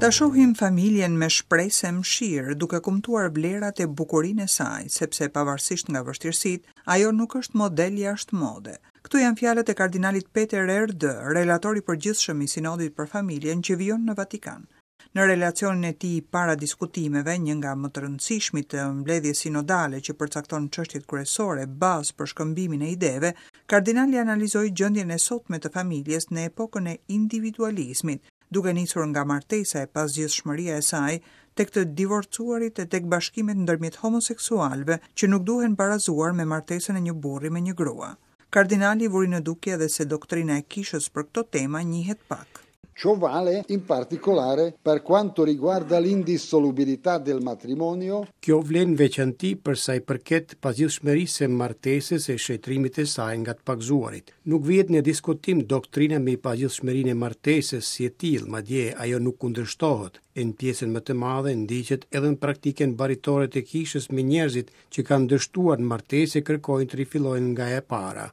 Ta shohim familjen me shpresë e mëshirë, duke kumtuar vlerat e bukurinë e saj, sepse pavarësisht nga vështirësitë, ajo nuk është model jashtë mode. Këto janë fjalët e kardinalit Peter Erdő, relator i përgjithshëm i Sinodit për Familjen që vijon në Vatikan. Në relacionin e tij para diskutimeve, një nga më të rëndësishmit të mbledhjes sinodale që përcakton çështjet kryesore bazë për shkëmbimin e ideve, kardinali analizoi gjendjen e sotme të familjes në epokën e individualizmit, duke nisur nga martesa e pazgjidhshmëria e saj, tek të divorcuarit e tek bashkimet ndërmjet homoseksualëve që nuk duhen barazuar me martesën e një burri me një grua. Kardinali vuri në dukje edhe se doktrina e Kishës për këto tema njihet pak. Ciò vale in particolare per quanto riguarda l'indissolubilità del matrimonio. Kjo vlen në veçanti për sa i përket pazgjidhshmërisë së martesës e shenjtërimit të saj nga të pagëzuarit. Nuk vihet në diskutim doktrina mbi pazgjidhshmërinë e martesës si e tillë, madje ajo nuk kundërshtohet, e në pjesën më të madhe ndiqet edhe në praktikën baritore të Kishës me njerëzit që kanë dështuar në martesë e kërkojnë të rifillojnë nga e para.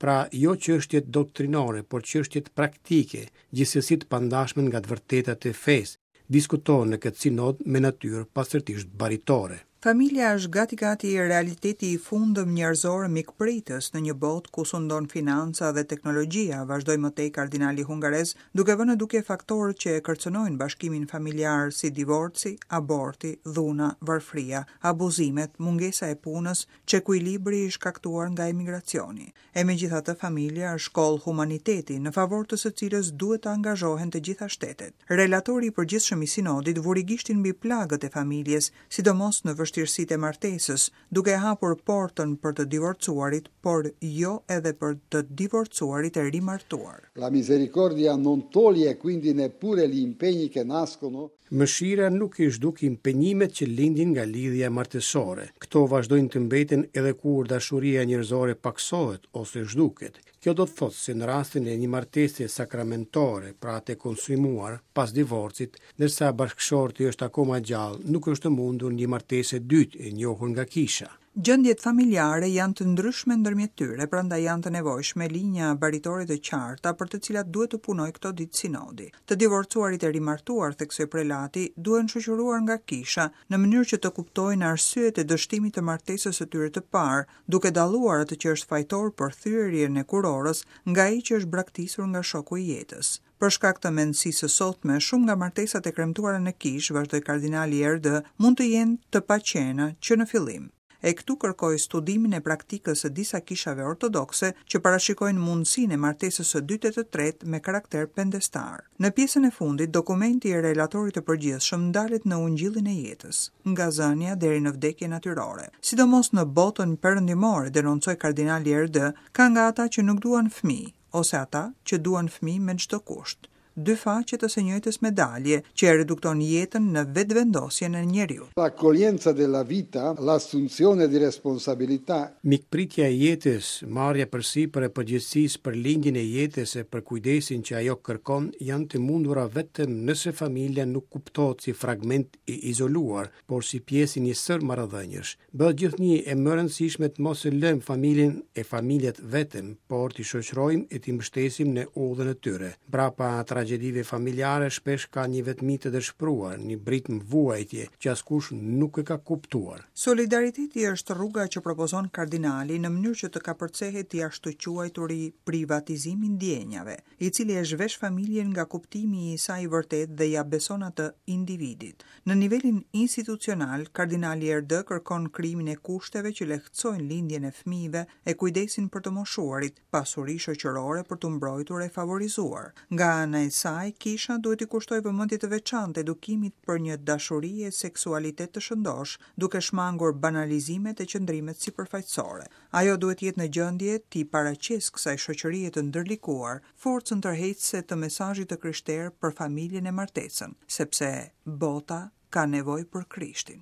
Pra, jo çështjet doktrinore, por çështjet praktike, gjithsesi të pandashme nga të vërtetat e fesë, diskutohen në këtë sinod me natyrë pastërtisht baritore. Familja është gati-gati realiteti i fundëm njerëzor mikpritës në një botë ku sundon financa dhe teknologjia, vazhdoi më tej kardinali hungarez, duke vënë në dukje faktorët që e kërcënojnë bashkimin familjar si divorci, aborti, dhuna, varfëria, abuzimet, mungesa e punës, çekuilibri i shkaktuar nga emigracioni. E megjithatë familja është shkollë humaniteti, në favor të së cilës duhet të angazhohen të gjitha shtetet. Relatori i përgjithshëm i Sinodit vuri gishtin mbi plagët e familjes, sidomos në vështirësitë e martesës, duke hapur portën për të divorcuarit, por jo edhe për të divorcuarit e rimartuar. La misericordia non toglie quindi neppure gli impegni che nascono Mëshira nuk i zhduk impenjimet që lindin nga lidhja martesore. Këto vazhdojnë të mbeten edhe kur dashuria njerëzore pakësohet ose zhduket. Kjo do të thotë se në rastin e një martese sakramentore, pra të konsumuar, pas divorcit, ndërsa bashkëshorti është akoma gjallë, nuk është e mundur një martesë e dytë e njohur nga Kisha. Gjendjet familjare janë të ndryshme ndërmjet tyre, prandaj janë të nevojshme linja baritore të qarta për të cilat duhet të punojë këto ditë sinodi. Të divorcuarit e rimartuar, theksoi prelati, duhen shoqëruar nga kisha, në mënyrë që të kuptojnë arsyet e dështimit të martesës së tyre të parë, duke dalluar atë që është fajtor për thyerjen e kurorës nga ai që është braktisur nga shoku i jetës. Për shkak të mendësisë së sotme, shumë nga martesat e kremtuara në kishë, vazhdoi kardinali Erdő, mund të jenë të paqena që në fillim. E këtu kërkoi studimin e praktikës së disa kishave ortodokse që parashikojnë mundësinë e martesës së dytë e të tretë me karakter pendestar. Në pjesën e fundit, dokumenti i relatorit të përgjithshëm ndalet në ungjillin e jetës, nga zënia deri në vdekje natyrore. Sidomos në botën perëndimore, denoncoi kardinali Erdő, ka nga ata që nuk duan fëmijë, ose ata që duan fëmijë me çdo kusht. Dy faqe të së njëjtës medalje, që e redukton jetën në vetëvendosjen e njeriut. L'accoglienza della vita, l'assunzione di responsabilità. Mikpritja e jetës, marrja përsipër e përgjegjësisë për lindjen e jetës e për kujdesin që ajo kërkon janë të mundura vetëm nëse familja nuk kuptohet si fragment i izoluar, por si pjesë e një sërë marrëdhëniesh. Bëhet gjithnjë e më e rëndësishme të mos e lëmë familjen e familjet vetëm, por t'i shoqërojmë e t'i mbështesim në udhën e tyre. Mbrapa tragjedive familjare shpesh ka një vetmi të dëshpëruar, një britmë vuajtje që askush nuk e ka kuptuar. Solidariteti është rruga që propozon kardinali në mënyrë që të kapërcehet i ashtuquajturi privatizim i ndjenjave. i cili e zhvesh familjen nga kuptimi i saj i vërtetë dhe ia beson atë individit. Në nivelin institucional, kardinali Erdő kërkon krijimin e kushteve që lehtësojnë lindjen e fëmijëve e kujdesin për të moshuarit, pasuri shoqërore për t'u mbrojtur e favorizuar. Nga ana e saj, Kisha duhet t'i kushtojë vëmendje të veçantë edukimit për një dashuri e seksualitet të shëndoshë, duke shmangur banalizimet e qëndrimet sipërfaqësore. Ajo duhet të jetë në gjendje t'i paraqesë kësaj shoqërie të ndërlikuar forcën tërheqëse të mesazhit të krishterë për familjen e martesën, sepse bota ka nevojë për Krishtin.